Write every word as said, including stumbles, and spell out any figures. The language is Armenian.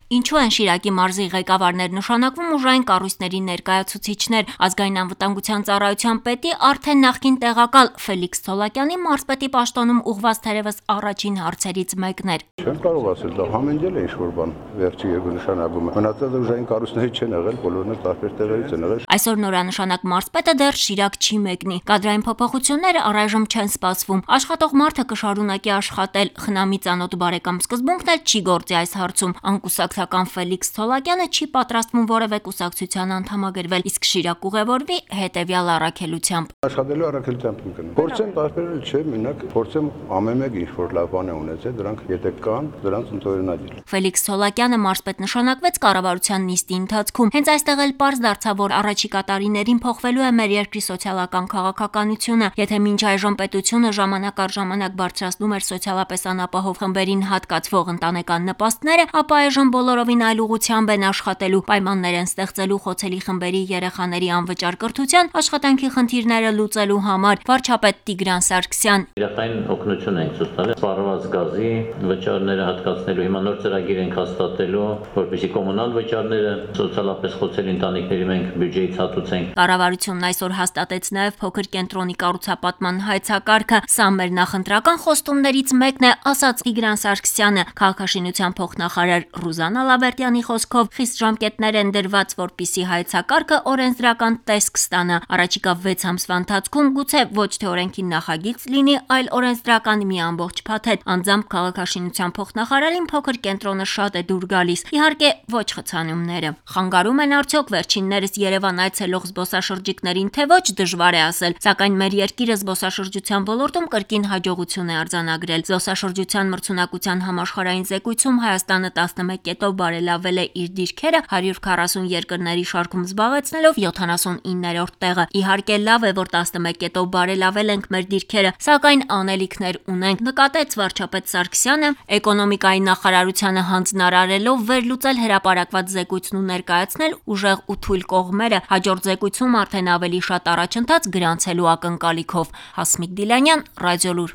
Ինչու են Շիրակի մարզի ղեկավարներ նշանակվում ուժային կառույցների ներկայացուցիչներ։ Ազգային անվտանգության ծառայության պետի արդեն նախկին տեղակալ Ֆելիքս Ցոլակյանի մարզպետի պաշտոնում ուղղված թերևս առաջին հարցերից մեկն էր։ Չեմ կարող ասել, դա համենջել է ինչ-որ բան վերջի երկու նշանակումը։ Մնացածը ուժային կառույցների չեն եղել, բոլորն էլ տարբեր տեղերից են եղել։ Այսօր նորանշանակ մարզպետը դեռ Շիրակ չի մեկնի։ Կադրային փոփոխությունները առայժմ չեն սպասվում։ Աշխատող մարդը կշարունակի աշխատել։ Խնամի ծանոթ բարեկամ սկզբունքն էլ չի գործի այս հարցում։ Անկուսակցական Ֆելիքս Ցոլակյանը չի պատրաստվում որևէ կուսակցության անդամագրվել, իսկ Շիրակ ուղևորվի հետևյալ առաքելությամբ։ Աշխատելու առաքելությամբ եմ գնում։ Փորձեմ տարբերել, չէ, մենակ փորձեմ ամեն մեկ ինչ-որ լավ բան է ունեցել, դրանք եթե կան, դրանց ընդօրինակել։ Ֆելիքս Ցոլակյանը մարզպետ նշանակվեց կառավարության նիստի ընթացքում։ Հենց այստեղ էլ պարզ դարձավ, որ առաջիկա տարիներին փոխվելու է մեր երկրի սոցիալական քաղաքականությունը։ Եթե մինչ այժմ պետությունը ժամանակ առ ժամանակ բարձրացնում էր սոցիալապես անապահով խմբերին հատկացվող ընտանեկան նպաստները, ապա այժմ բոլորովին այլ ուղղությամբ են աշխատելու, պայմաններ են ստեղծելու խոցելի խմբերի երեխաների անվճար կրթության, աշխատանքի խնդիրները լուծելու համար։ Վարչապետ Տիգրան Սարգսյան։ Իրական օգնություն ենք ցույց տալիս սպառված գազի վճարները հատկացնելու, հիմա նոր ծրագիր ենք հաստատելու, որպեսզի կոմունալ վճարները սոցիալապես խոցելի ընտանիքների մենք բյուջեից հատուցենք։ Կառավարությունն այսօր հաստատեց նաև փոքր կենտրոնի կառուցապատման հայեցակարգը։ Սա մեր նախընտրական խոստումներից մեկն է, ասաց Տիգրան Սարգսյանը։ Քաղաքաշինության փոխնախարար Ռուզաննա Լավերտյանի խոսքով խիստ ժամկետներ են դրված, որպիսի հայեցակարգը օրենսդրական տեսք ստանա։ Առաջիկա վեց ամսվա ընթացքում գուցե ոչ թե օրենքի նախագիծ լինի, այլ օրենսդրական մի ամբողջ փաթեթ։ Անձամբ քաղաքաշինության փոխնախարարին փոքր կենտրոնը շատ է դուր գալիս։ Իհարկե ոչ խցանումները։ Խանգարում են արդյոք վերջիններս Երևան այցելող զբոսաշրջիկներին, թե ոչ, դժվար է ասել, սակայն մեր երկիրը զբոսաշրջության ոլորտում կրկին հաջողություն է արձանագրել։ Զբոսաշրջության մրցունակության համաշխարհային զեկույցում Հայաստանը տասնմեկ կետով բարելավել է իր դիրքերը հարյուր քառասուն երկրների շարքում զբաղեցնելով յոթանասունիններորդ տեղը։ Իհարկե լավ է, որ տասնմեկ կետով բարելավել ենք մեր դիրքերը, սակայն անելիքներ ունենք, նկատեց վարչապետ Սարգսյանը, էկոնոմիկայի նախարարությանը հանձնարարելով վերլուծել հրապարակված զեկույցն ու ներկայացնել ուժեղ ու թույլ կողմերը, հաջորդ զեկույցում արդեն ավելի շատ առաջընթաց գրանցելու ակնկալիքով։ Հասմիկ Դիլանյան, Ռադիոլուր։